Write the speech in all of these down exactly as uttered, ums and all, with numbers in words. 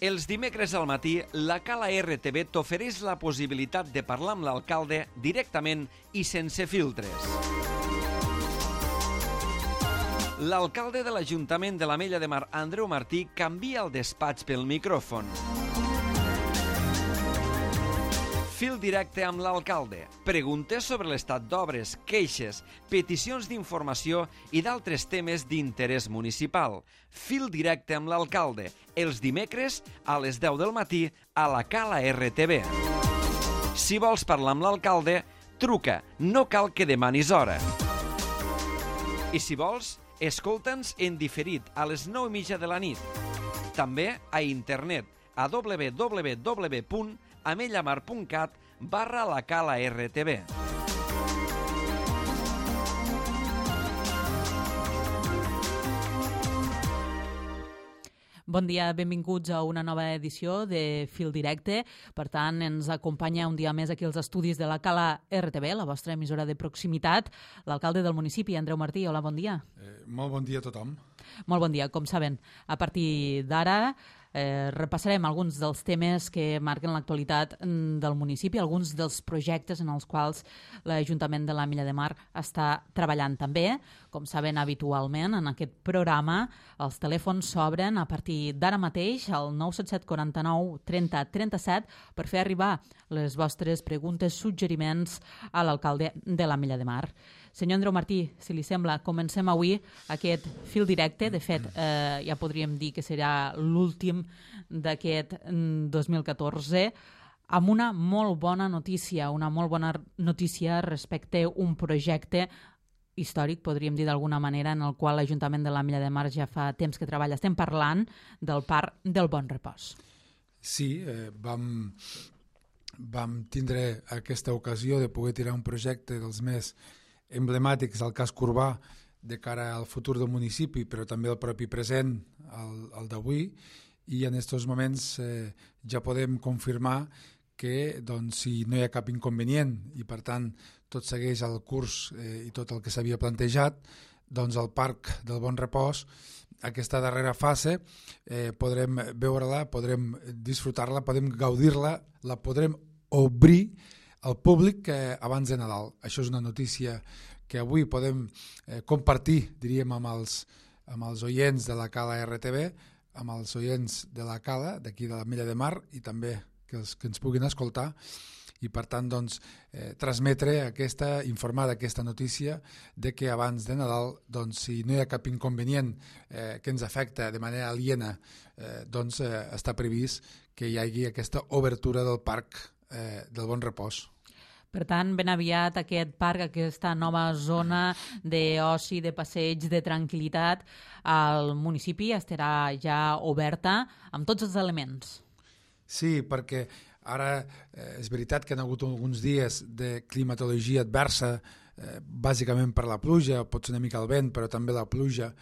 Els dimecres al matí, la Cala R T V t'ofereix la possibilitat de parlar amb l'alcalde directament i sense filtres. L'alcalde de l'Ajuntament de l'Ametlla de Mar, Andreu Martí, canvia el despatx pel micròfon. Fil directe amb l'alcalde. Preguntes sobre l'estat d'obres, queixes, peticions d'informació i d'altres temes d'interès municipal. Fil directe amb l'alcalde. Els dimecres a les deu del matí a la Cala R T V. Si vols parlar amb l'alcalde, truca. No cal que demanis hora. I si vols, escolta'ns en diferit a les nou i mitja de la nit. També a internet a w w w punt amellamar punt cat barra la Cala R T V. Bon dia, benvinguts a una nova edició de Fil Directe. Per tant, ens acompanya un dia més aquí als estudis de la Cala R T V, la vostra emissora de proximitat, l'alcalde del municipi, Andreu Martí. Hola, bon dia. Eh, molt bon dia a tothom. Molt bon dia. Com saben, a partir d'ara eh, repassarem alguns dels temes que marquen l'actualitat del municipi, alguns dels projectes en els quals l'Ajuntament de l'Ametlla de Mar està treballant també. Com saben habitualment, en aquest programa els telèfons s'obren a partir d'ara mateix al nou set set quaranta nou trenta trenta set per fer arribar les vostres preguntes, suggeriments a l'alcalde de l'Ametlla de Mar. Senyor Andreu Martí, si li sembla, comencem avui aquest fil directe. De fet, eh, ja podríem dir que serà l'últim d'aquest dos mil catorze, amb una molt bona notícia, una molt bona notícia respecte a un projecte històric, podríem dir d'alguna manera, en el qual l'Ajuntament de l'Ametlla de Mar ja fa temps que treballa. Estem parlant del Parc del Bon Repòs. Sí, eh, vam, vam tindre aquesta ocasió de poder tirar un projecte dels més emblemàtics al casc urbà de cara al futur del municipi, però també el propi present, el, el d'avui, i en aquests moments eh, ja podem confirmar que doncs, si no hi ha cap inconvenient i per tant tot segueix el curs eh, i tot el que s'havia plantejat, doncs el Parc del Bon Repòs, aquesta darrera fase, eh, podrem veure-la, podrem disfrutar-la, podem gaudir-la, la podrem obrir al públic eh, abans de Nadal. Això és una notícia que avui podem eh, compartir, diríem, amb els, amb els oients de la Cala R T V, amb els oients de la Cala, d'aquí de l'Ametlla de Mar, i també que, els, que ens puguin escoltar, i per tant doncs, eh, transmetre aquesta, informar d'aquesta notícia de que abans de Nadal, doncs, si no hi ha cap inconvenient eh, que ens afecta de manera aliena, eh, doncs eh, està previst que hi hagi aquesta obertura del Parc eh, del Bon Repòs. Per tant, ben aviat aquest parc, aquesta nova zona d'oci, de passeig, de tranquil·litat al municipi estarà ja oberta amb tots els elements. Sí, perquè ara eh, és veritat que han hagut alguns dies de climatologia adversa, eh, bàsicament per la pluja, pot ser una mica el vent, però també la pluja,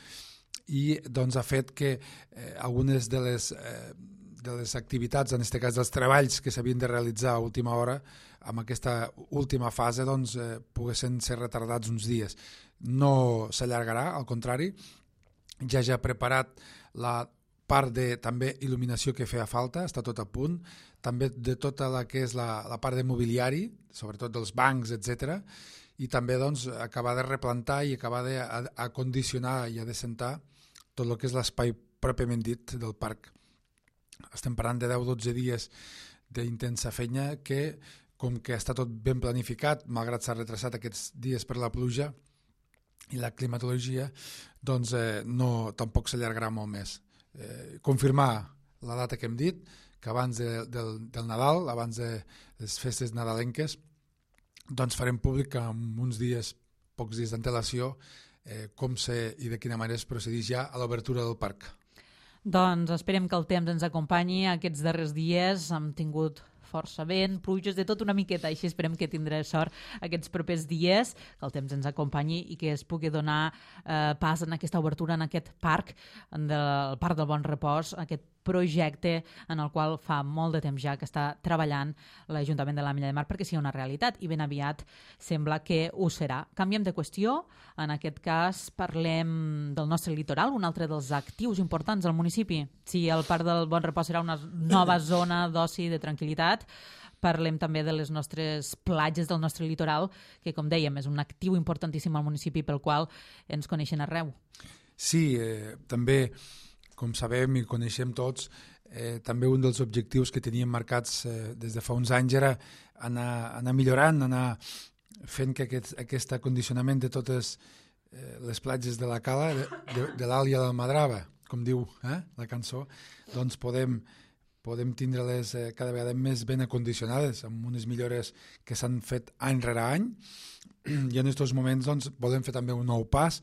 i doncs ha fet que eh, algunes de les, eh, de les activitats, en aquest cas dels treballs que s'havien de realitzar a última hora, amb aquesta última fase doncs, eh, poguessin ser retardats uns dies. No s'allargarà, al contrari, ja ja ha preparat la part de també il·luminació que feia falta, està tot a punt, també de tota la que és la, la part de mobiliari, sobretot dels bancs, etcètera, i també doncs, acabar de replantar i acabar d'acondicionar i adescentar tot el que és l'espai pròpiament dit del parc. Estem parlant de deu a dotze dies d'intensa feina que, com que està tot ben planificat, malgrat s'ha retrasat aquests dies per la pluja i la climatologia, doncs eh, no, tampoc s'allargarà molt més. Eh, confirmar la data que hem dit, que abans de, del, del Nadal, abans de les festes nadalenques, doncs farem públic en uns dies, pocs dies d'antelació, eh, com se i de quina manera es procedeix ja a l'obertura del parc. Doncs esperem que el temps ens acompanyi aquests darrers dies. Hem tingut força vent, pluges, de tot una miqueta, així esperem que tindré sort aquests propers dies, que el temps ens acompanyi i que es pugui donar eh, pas en aquesta obertura en aquest parc, del Parc del Bon Repòs, aquest projecte en el qual fa molt de temps ja que està treballant l'Ajuntament de l'Ametlla de Mar perquè sigui una realitat i ben aviat sembla que ho serà. Canviem de qüestió, en aquest cas parlem del nostre litoral, un altre dels actius importants del municipi. Si el Parc del Bon Repòs serà una nova zona d'oci, de tranquil·litat, parlem també de les nostres platges del nostre litoral, que, com dèiem, és un actiu importantíssim al municipi pel qual ens coneixen arreu. Sí, eh, també, com sabem i coneixem tots, eh, també un dels objectius que teníem marcats eh, des de fa uns anys era anar, anar millorant, anar fent que aquest, aquest acondicionament de totes eh, les platges de la Cala, de, de, de l'Àlia del Madrava, com diu eh, la cançó, doncs podem podem tindre-les eh, cada vegada més ben acondicionades, amb unes millores que s'han fet any rere any, i en aquests moments doncs, volem fer també un nou pas,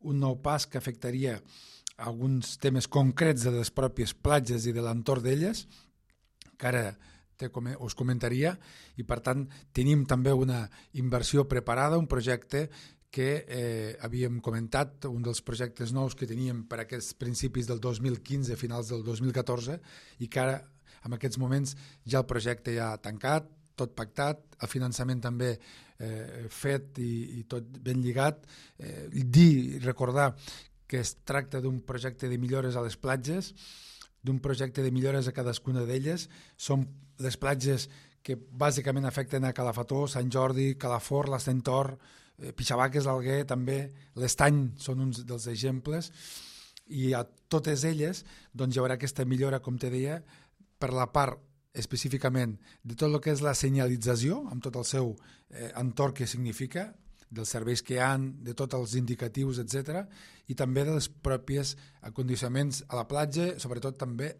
un nou pas que afectaria alguns temes concrets de les pròpies platges i de l'entorn d'elles, que ara te, us comentaria, i per tant tenim també una inversió preparada, un projecte que eh, havíem comentat, un dels projectes nous que teníem per aquests principis del dos mil quinze, finals del dos mil catorze, i que ara, en aquests moments, ja el projecte ja ha tancat, tot pactat, el finançament també eh, fet i, i tot ben lligat. Eh, dir, recordar que es tracta d'un projecte de millores a les platges, d'un projecte de millores a cadascuna d'elles. Són les platges que bàsicament afecten a Calafató, Sant Jordi, Calafort, l'Estentor, Pixabaques, l'Alguer, també l'Estany són uns dels exemples, i a totes elles doncs, hi haurà aquesta millora, com te deia, per la part específicament de tot el que és la senyalització, amb tot el seu eh, entorn que significa, dels serveis que hi ha, de tots els indicatius, etcètera, i també dels propis acondicionaments a la platja, sobretot també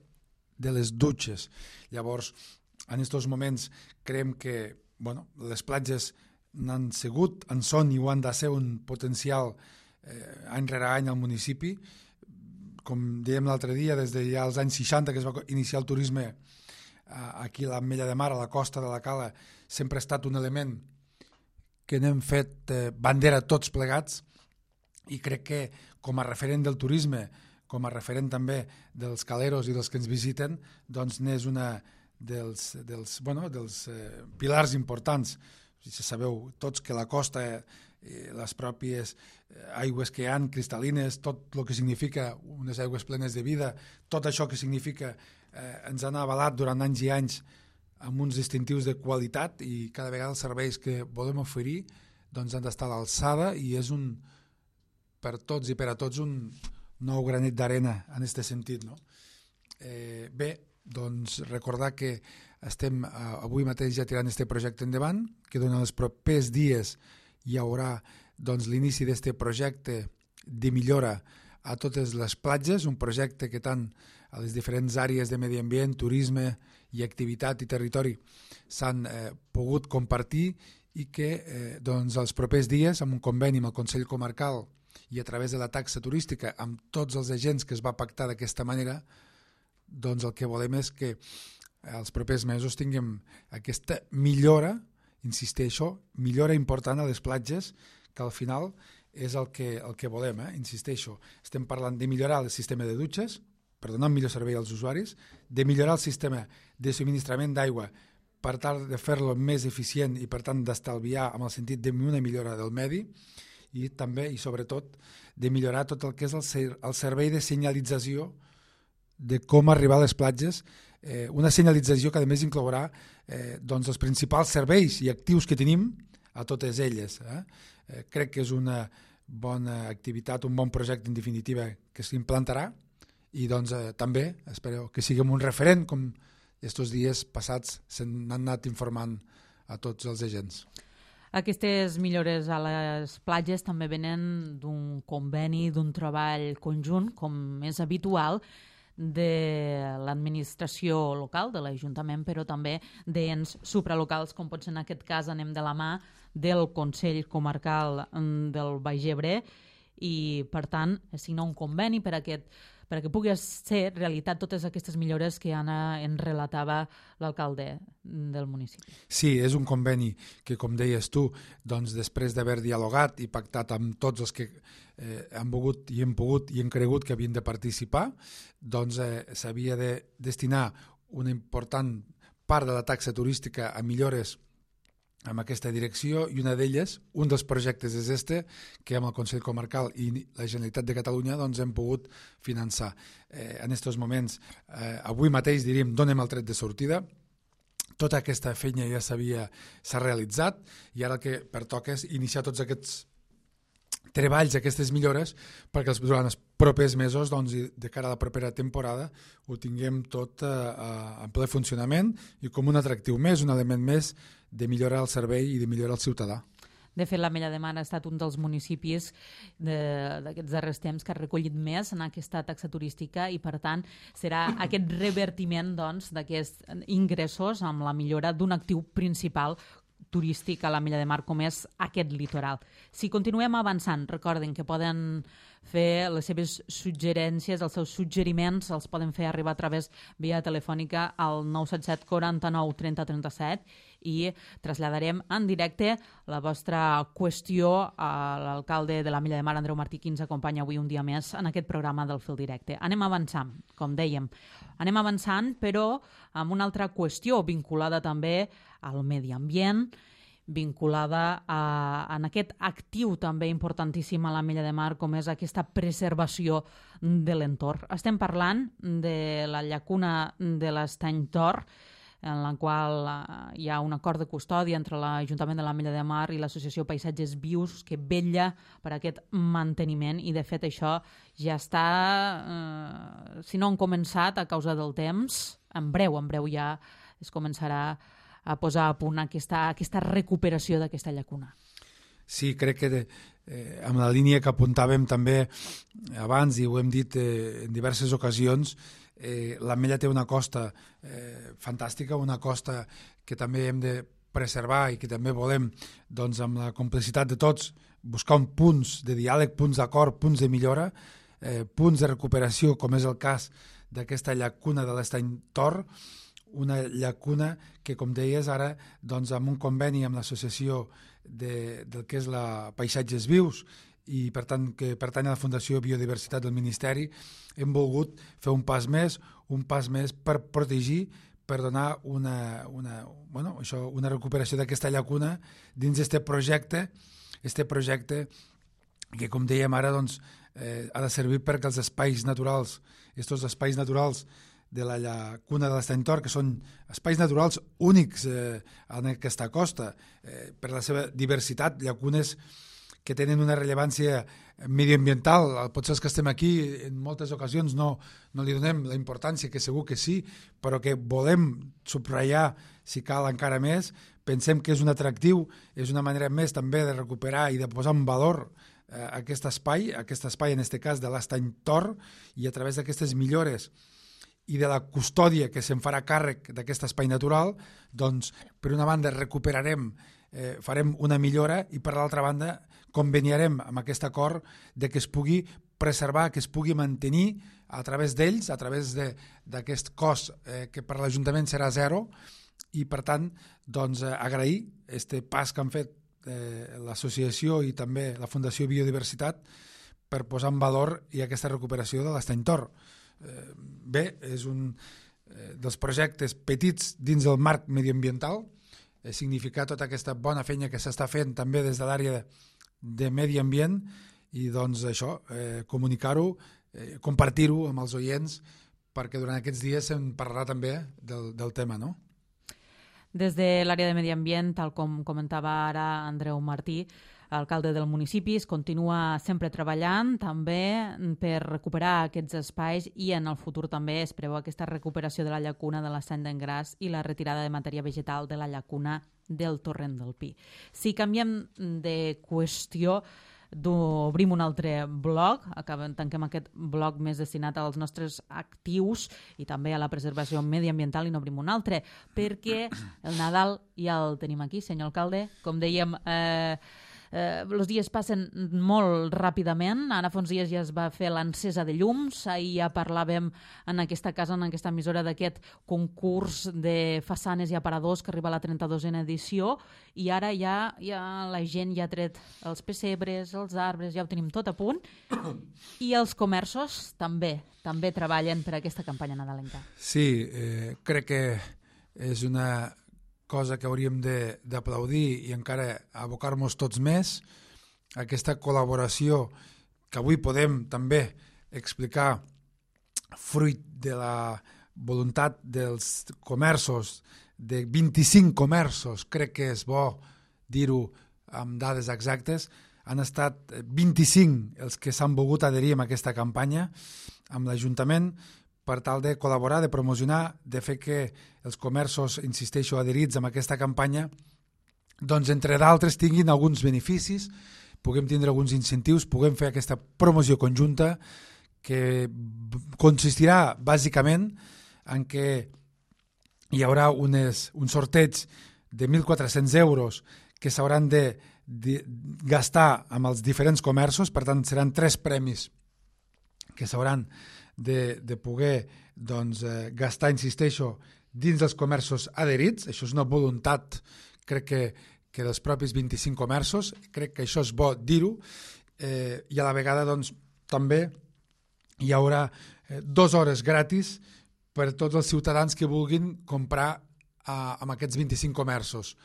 de les dutxes. Llavors, en aquests moments creiem que bueno, les platges n'han sigut, en són i ho han de ser un potencial eh, any rere any al municipi. Com dèiem l'altre dia, des de ja els anys seixanta que es va iniciar el turisme eh, aquí a l'Ametlla de Mar, a la costa de la Cala, sempre ha estat un element que n'hem fet eh, bandera tots plegats, i crec que com a referent del turisme, com a referent també dels caleros i dels que ens visiten, doncs n'és una dels, dels, bueno, dels eh, pilars importants. Ja sabeu tots que la costa, eh, les pròpies aigües que hi ha, cristal·lines, tot el que significa unes aigües plenes de vida, tot això que significa eh, ens han avalat durant anys i anys amb uns distintius de qualitat, i cada vegada els serveis que volem oferir doncs han d'estar a l'alçada, i és un, per tots i per a tots, un nou granet d'arena en aquest sentit, no? Eh, bé, doncs recordar que estem eh, avui mateix ja tirant aquest projecte endavant, que durant els propers dies hi haurà doncs, l'inici d'aquest projecte de millora a totes les platges, un projecte que tant a les diferents àrees de medi ambient, turisme i activitat i territori s'han eh, pogut compartir, i que eh, doncs, els propers dies, amb un conveni amb el Consell Comarcal i a través de la taxa turística, amb tots els agents que es va pactar d'aquesta manera, doncs el que volem és que els propers mesos tinguem aquesta millora, insisteixo, millora important a les platges, que al final és el que, el que volem, eh? Insisteixo. Estem parlant de millorar el sistema de dutxes, per donar un millor servei als usuaris, de millorar el sistema de subministrament d'aigua per tal de fer-lo més eficient i per tant d'estalviar amb el sentit d'una millora del medi, i també i sobretot de millorar tot el que és el, ser, el servei de senyalització de com arribar a les platges, eh, una senyalització que a més inclourà eh, doncs els principals serveis i actius que tenim a totes elles. Eh? Eh, crec que és una bona activitat, un bon projecte en definitiva que s'implantarà, i doncs eh, també espero que siguem un referent, com aquests dies passats s'han anat informant a tots els agents. Aquestes millores a les platges també venen d'un conveni, d'un treball conjunt, com és habitual, de l'administració local, de l'Ajuntament, però també d'ens supralocals, com pot ser en aquest cas anem de la mà del Consell Comarcal del Baix Ebre, i, per tant, signar un conveni per a aquest perquè pugui ser realitat totes aquestes millores que Anna en relatava l'alcalde del municipi. Sí, és un conveni que, com deies tu, doncs, després d'haver dialogat i pactat amb tots els que eh, han volgut i hem pogut i hem cregut que havien de participar, doncs eh, s'havia de destinar una important part de la taxa turística a millores amb aquesta direcció, i una d'elles, un dels projectes és este, que amb el Consell Comarcal i la Generalitat de Catalunya doncs, hem pogut finançar. Eh, en aquests moments, eh, avui mateix, diríem, donem el tret de sortida. Tota aquesta feina ja s'havia s'ha realitzat, i ara el que pertoca és iniciar tots aquests treballs, aquestes millores, perquè durant els propers mesos, doncs, de cara a la propera temporada, ho tinguem tot eh, en ple funcionament i com un atractiu més, un element més de millorar el servei i de millorar el ciutadà. De fet, l'Ametlla de Mar ha estat un dels municipis d'aquests darrers temps que ha recollit més en aquesta taxa turística i, per tant, serà aquest revertiment doncs, d'aquests ingressos amb la millora d'un actiu principal turístic a l'Ametlla de Mar com és aquest litoral. Si continuem avançant, recorden que poden fer les seves suggerències, els seus suggeriments, els poden fer arribar a través via telefònica al nou set set quaranta-nou trenta trenta-set i traslladarem en directe la vostra qüestió a l'alcalde de l'Ametlla de Mar, Andreu Martí, qui ens acompanya avui un dia més en aquest programa del Fil Directe. Anem avançant, com dèiem. Anem avançant, però amb una altra qüestió vinculada també al medi ambient, vinculada a, a aquest actiu també importantíssim a l'Ametlla de Mar, com és aquesta preservació de l'entorn. Estem parlant de la llacuna de l'Estany Tor, en la qual hi ha un acord de custòdia entre l'Ajuntament de l'Ametlla de Mar i l'Associació Paisatges Vius, que vetlla per aquest manteniment, i de fet això ja està, eh, si no han començat a causa del temps, en breu, en breu ja es començarà a posar a punt aquesta, aquesta recuperació d'aquesta llacuna. Sí, crec que de, eh, amb la línia que apuntàvem també abans, i ho hem dit eh, en diverses ocasions, eh, l'Ametlla té una costa eh, fantàstica, una costa que també hem de preservar i que també volem, doncs, amb la complicitat de tots, buscar un punts de diàleg, punts d'acord, punts de millora, eh, punts de recuperació, com és el cas d'aquesta llacuna de l'Estany Tor, una llacuna que, com deies ara, doncs, amb un conveni amb l'associació de, del que és la Paisatges Vius i, per tant, que pertany a la Fundació Biodiversitat del Ministeri, hem volgut fer un pas més, un pas més per protegir, per donar una, una, bueno, això, una recuperació d'aquesta llacuna dins d'aquest projecte, este projecte que, com dèiem ara, doncs, eh, ha de servir perquè els espais naturals, aquests espais naturals de la llacuna de l'Estany Tor, que són espais naturals únics eh, en aquesta costa, eh, per la seva diversitat, llacunes que tenen una rellevància mediambiental. Potser els que estem aquí en moltes ocasions no, no li donem la importància, que segur que sí, però que volem subratllar, si cal encara més. Pensem que és un atractiu, és una manera més també de recuperar i de posar en valor eh, aquest espai, aquest espai en aquest cas de l'Estany Tor, i a través d'aquestes millores i de la custòdia que se'n farà càrrec d'aquest espai natural, doncs, per una banda recuperarem, eh, farem una millora, i per l'altra banda conveniarem amb aquest acord de que es pugui preservar, que es pugui mantenir a través d'ells, a través d'aquest cost eh, que per l'Ajuntament serà zero, i per tant doncs, eh, agrair aquest pas que han fet eh, l'associació i també la Fundació Biodiversitat per posar en valor i aquesta recuperació de l'Estany Tor. Bé, és un dels projectes petits dins del marc mediambiental, significar tota aquesta bona feina que s'està fent també des de l'àrea de medi ambient, i doncs això, eh, comunicar-ho, eh, compartir-ho amb els oients, perquè durant aquests dies se'n parlarà també del, del tema, no? Des de l'àrea de medi ambient, tal com comentava ara Andreu Martí, alcalde del municipi, es continua sempre treballant també per recuperar aquests espais, i en el futur també es preveu aquesta recuperació de la llacuna de l'Estany d'en Gras i la retirada de matèria vegetal de la llacuna del Torrent del Pi. Si canviem de qüestió, obrim un altre bloc, acabem, tanquem aquest bloc més destinat als nostres actius i també a la preservació mediambiental, i n'obrim un altre, perquè el Nadal ja el tenim aquí, senyor alcalde. Com dèiem, eh, eh, els dies passen molt ràpidament. Ara fa uns dies ja es va fer l'encesa de llums. Ahir ja parlàvem en aquesta casa, en aquesta emissora, d'aquest concurs de façanes i aparadors que arriba a la trenta-dosena edició, i ara ja, ja la gent ja ha tret els pessebres, els arbres, ja ho tenim tot a punt. I els comerços també, també treballen per aquesta campanya nadalenca. Sí, eh, crec que és una cosa que hauríem d'aplaudir i encara abocar-nos tots més. Aquesta col·laboració que avui podem també explicar fruit de la voluntat dels comerços, de vint-i-cinc comerços, crec que és bo dir-ho amb dades exactes. Han estat vint-i-cinc els que s'han volgut adherir a aquesta campanya amb l'Ajuntament per tal de col·laborar, de promocionar, de fer que els comerços, insisteixo, adherits a aquesta campanya, doncs, entre d'altres, tinguin alguns beneficis, puguem tindre alguns incentius, puguem fer aquesta promoció conjunta que consistirà bàsicament en què hi haurà unes, un sorteig de mil quatre-cents euros que s'hauran de, de gastar amb els diferents comerços, per tant seran tres premis que s'hauran de, de poder doncs, eh, gastar, insisteixo, dins dels comerços adherits. Això és una voluntat, crec que, que dels propis vint-i-cinc comerços, crec que això és bo dir-ho, eh, i a la vegada doncs, també hi haurà eh, dues hores gratis per tots els ciutadans que vulguin comprar eh, amb aquests vint-i-cinc comerços.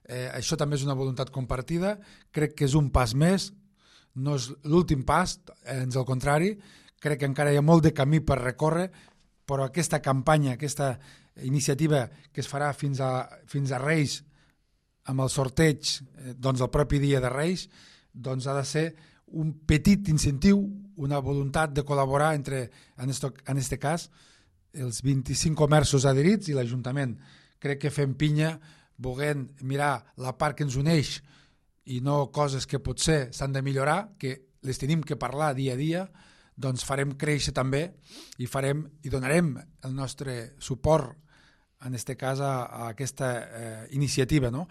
Eh, això també és una voluntat compartida, crec que és un pas més, no és l'últim pas, ans al contrari, crec que encara hi ha molt de camí per recórrer, però aquesta campanya, aquesta iniciativa que es farà fins a, fins a Reis, amb el sorteig doncs, el propi dia de Reis, doncs ha de ser un petit incentiu, una voluntat de col·laborar entre, en aquest cas, els vint-i-cinc comerços adherits i l'Ajuntament. Crec que fem pinya, volent mirar la part que ens uneix i no coses que potser s'han de millorar, que les tenim que parlar dia a dia, doncs farem créixer també i farem i donarem el nostre suport en aquest cas a, a aquesta eh, iniciativa, no?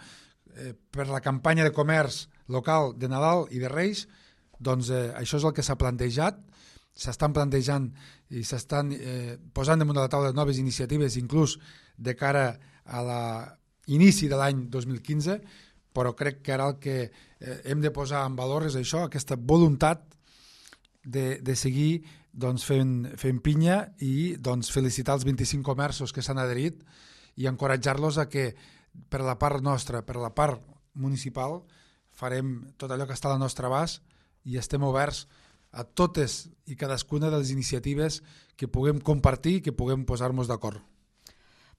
Eh, per la campanya de comerç local de Nadal i de Reis, doncs eh, això és el que s'ha plantejat, s'estan plantejant i s'estan eh, posant damunt de la taula noves iniciatives, inclús de cara a l'inici de l'any dos mil quinze, però crec que ara el que eh, hem de posar en valor és això, aquesta voluntat de, de seguir doncs, fent, fent pinya i doncs, felicitar els vint-i-cinc comerços que s'han adherit i encoratjar-los a que per la part nostra, per la part municipal, farem tot allò que està a la nostra abast i estem oberts a totes i cadascuna de les iniciatives que puguem compartir i que puguem posar-nos d'acord.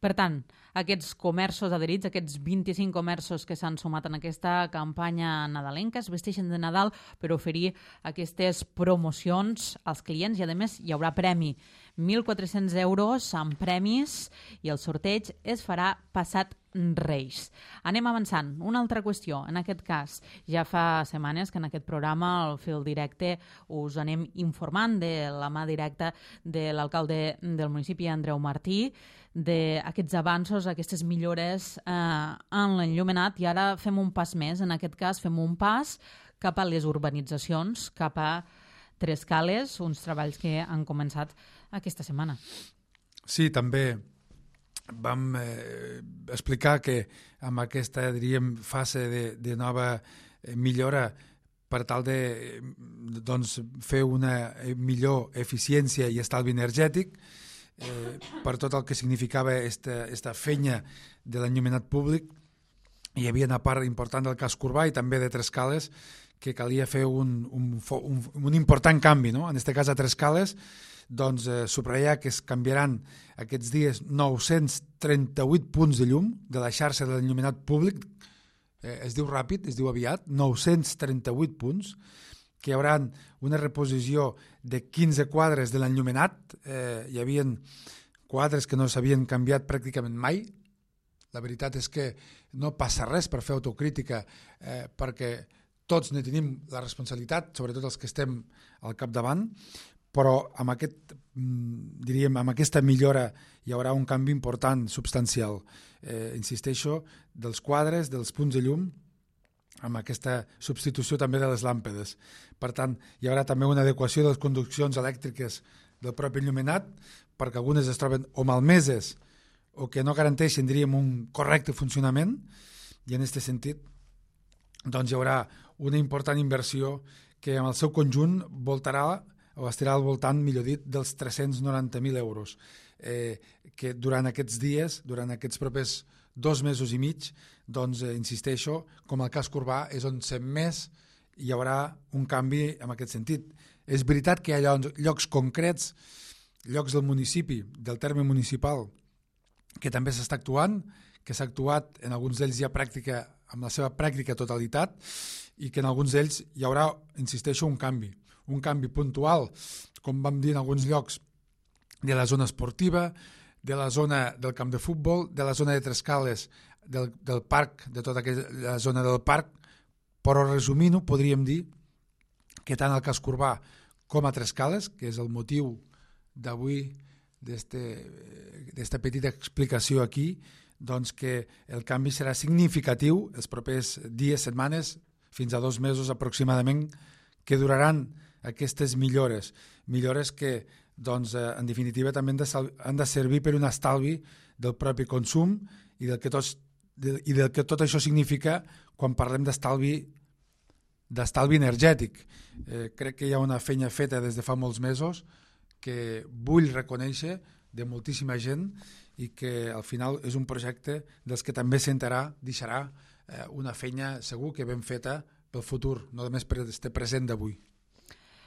Per tant, aquests comerços adherits, aquests vint-i-cinc comerços que s'han sumat en aquesta campanya nadalenca, es vesteixen de Nadal per oferir aquestes promocions als clients i, a més, hi haurà premi. mil quatre-cents euros amb premis i el sorteig es farà passat Reis. Anem avançant. Una altra qüestió, en aquest cas, ja fa setmanes que en aquest programa, al Fil Directe, us anem informant de la mà directa de l'alcalde del municipi, Andreu Martí, d'aquests avanços, aquestes millores eh, en l'enllumenat, i ara fem un pas més. En aquest cas, fem un pas cap a les urbanitzacions, cap a Trescales, uns treballs que han començat aquesta setmana. Sí, també vam eh, explicar que amb aquesta, diríem, fase de, de nova millora per tal de doncs, fer una millor eficiència i estalvi energètic, eh, per tot el que significava esta, esta fenya de l'enllumenat públic. Hi havia una part important del casc urbà i també de Trescales que calia fer un, un, un, un important canvi, no? En aquest cas a Trescales, doncs eh, subratllar que es canviaran aquests dies nou-cents trenta-vuit punts de llum de la xarxa de l'enllumenat públic, eh, es diu ràpid, es diu aviat, nou-cents trenta-vuit punts, que hi haurà una reposició de quinze quadres de l'enllumenat, eh, hi havia quadres que no s'havien canviat pràcticament mai. La veritat és que no passa res per fer autocrítica, eh, perquè tots ne tenim la responsabilitat, sobretot els que estem al capdavant, però amb, aquest, diríem, amb aquesta millora hi haurà un canvi important, substancial. Eh, insisteixo, dels quadres, dels punts de llum, amb aquesta substitució també de les làmpades. Per tant, hi haurà també una adequació de les conduccions elèctriques del propi enllumenat, perquè algunes es troben o malmeses o que no garanteixen, diríem, un correcte funcionament, i en aquest sentit doncs hi haurà una important inversió que en el seu conjunt voltarà o estarà al voltant, millor dit, dels tres-cents noranta mil euros, eh, que durant aquests dies, durant aquests propers dos mesos i mig, doncs, eh, insisteixo, com el casc urbà és on més hi haurà un canvi en aquest sentit. És veritat que hi ha llocs concrets, llocs del municipi, del terme municipal, que també s'està actuant, que s'ha actuat en alguns d'ells ja pràctica, amb la seva pràctica totalitat, i que en alguns d'ells hi haurà, insisteixo, un canvi. Un canvi puntual, com vam dir en alguns llocs, de la zona esportiva, de la zona del camp de futbol, de la zona de Trescales, del, del parc, de tota aquella zona del parc, però resumint-ho podríem dir que tant al casc urbà com a Trescales, que és el motiu d'avui d'esta petita explicació aquí, doncs que el canvi serà significatiu els propers dies, setmanes, fins a dos mesos aproximadament, que duraran aquestes millores, millores que doncs, en definitiva també han de, han de servir per un estalvi del propi consum i del que, tots, de, i del que tot això significa quan parlem d'estalvi d'estalvi energètic. Eh, crec que hi ha una feina feta des de fa molts mesos que vull reconèixer de moltíssima gent i que al final és un projecte dels que també sentarà, deixarà eh, una feina segur que ben feta pel futur, no només per este present d'avui.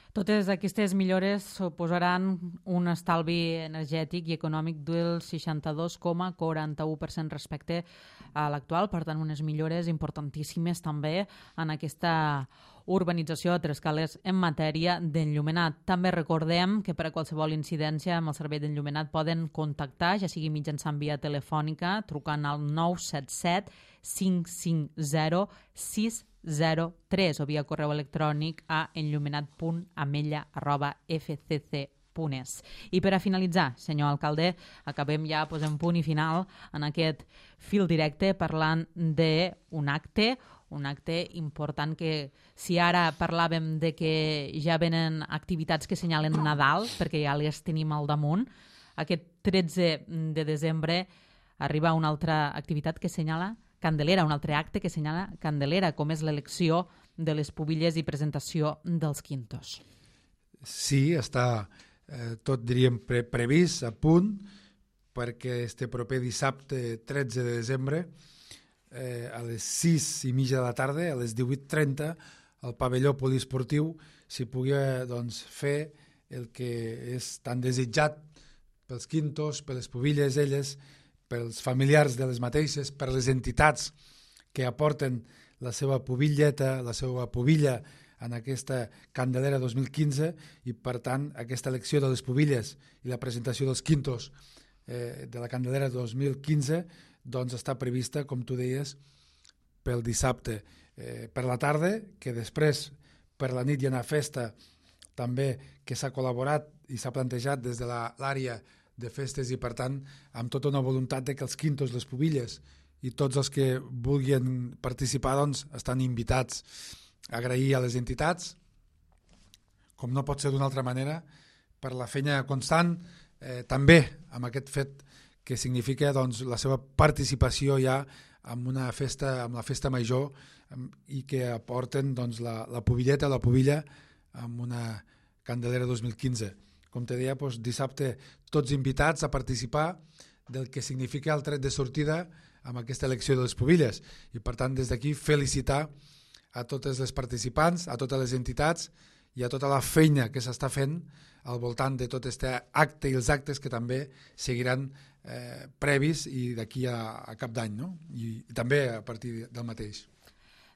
Totes aquestes millores suposaran un estalvi energètic i econòmic del seixanta-dos coma quaranta-u per cent respecte a l'actual, per tant unes millores importantíssimes també en aquesta urbanització a Trescales en matèria d'enllumenat. També recordem que per a qualsevol incidència amb el servei d'enllumenat poden contactar, ja sigui mitjançant via telefònica, trucant al nou set set cinc cinc zero sis zero tres o via correu electrònic a enllumenat punt amella arroba f c c punt es. I per a finalitzar, senyor alcalde, acabem ja, posem punt i final en aquest fil directe parlant d'un acte, un acte important que si ara parlàvem de que ja venen activitats que senyalen Nadal, perquè ja les tenim al damunt, aquest tretze de desembre arriba una altra activitat que senyala Candelera, un altre acte que senyala Candelera, com és l'elecció de les pubilles i presentació dels quintos. Sí, està eh, tot, diríem, pre previst, a punt, perquè este proper dissabte tretze de desembre, eh, a les sis i mitja de la tarda, a les divuit trenta, al pavelló poliesportiu s'hi pugui doncs, fer el que és tan desitjat pels quintos, per les pubilles elles, pels familiars de les mateixes, per les entitats que aporten la seva pubilleta, la seva pubilla en aquesta Candelera dos mil quinze i, per tant, aquesta elecció de les pubilles i la presentació dels quintos eh, de la Candelera dos mil quinze doncs està prevista, com tu deies, pel dissabte eh, per la tarda, que després per la nit hi ha una festa també que s'ha col·laborat i s'ha plantejat des de l'àrea de festes i, per tant, amb tota una voluntat de que els quintos, les pubilles i tots els que vulguin participar doncs, estan invitats. Agrair a les entitats, com no pot ser d'una altra manera, per la feina constant, eh, també amb aquest fet que significa doncs, la seva participació ja en una festa, amb la festa major i que aporten doncs, la, la pubilleta, la pubilla amb una Candelera dos mil quinze. Com te deia, doncs, dissabte tots invitats a participar del que significa el tret de sortida amb aquesta elecció de les pubilles. I, per tant, des d'aquí felicitar a totes les participants, a totes les entitats i a tota la feina que s'està fent al voltant de tot aquest acte i els actes que també seguiran eh, previs i d'aquí a, a cap d'any, no? I, i també a partir del mateix.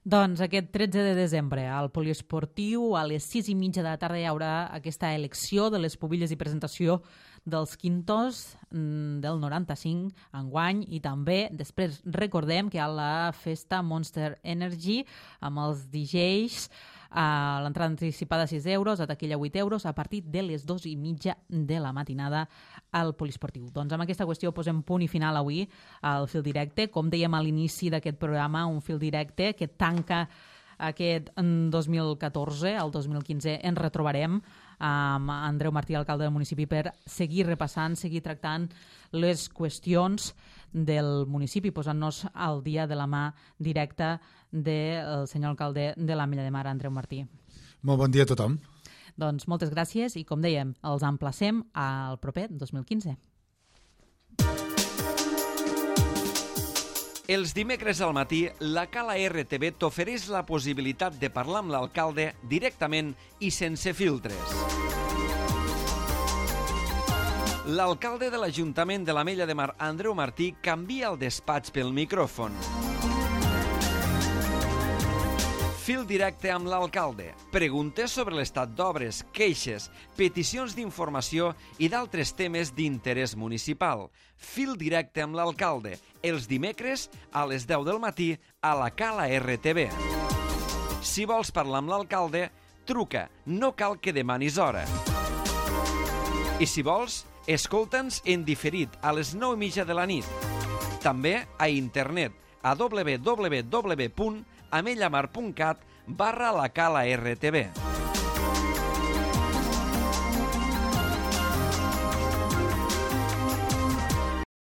Doncs aquest tretze de desembre al poliesportiu a les sis i mitja de la tarda hi haurà aquesta elecció de les pubilles i presentació dels Quintos del noranta-cinc enguany, i també després recordem que hi ha la festa Monster Energy amb els D Js, a l'entrada anticipada sis euros, a taquilla vuit euros, a partir de les dos i mitja de la matinada al poliesportiu. Doncs amb aquesta qüestió posem punt i final avui al Fil Directe. Com dèiem a l'inici d'aquest programa, un fil directe que tanca aquest dos mil catorze. El dos mil quinze ens retrobarem amb Andreu Martí, alcalde del municipi, per seguir repassant, seguir tractant les qüestions del municipi, posant-nos al dia de la mà directa del senyor alcalde de l'Ametlla de Mar, Andreu Martí. Molt bon dia a tothom. Doncs moltes gràcies i, com dèiem, els emplacem al proper dos mil quinze. Els dimecres al matí, la Cala R T V t'ofereix la possibilitat de parlar amb l'alcalde directament i sense filtres. L'alcalde de l'Ajuntament de l'Ametlla de Mar, Andreu Martí, canvia el despatx pel micròfon. Fil directe amb l'alcalde. Preguntes sobre l'estat d'obres, queixes, peticions d'informació i d'altres temes d'interès municipal. Fil directe amb l'alcalde. Els dimecres a les deu del matí a la Cala R T V. Si vols parlar amb l'alcalde, truca. No cal que demanis hora. I si vols, escolta'ns en diferit a les nou i mitja de la nit. També a internet a w w w punt amellamar punt cat barra la Cala R T V.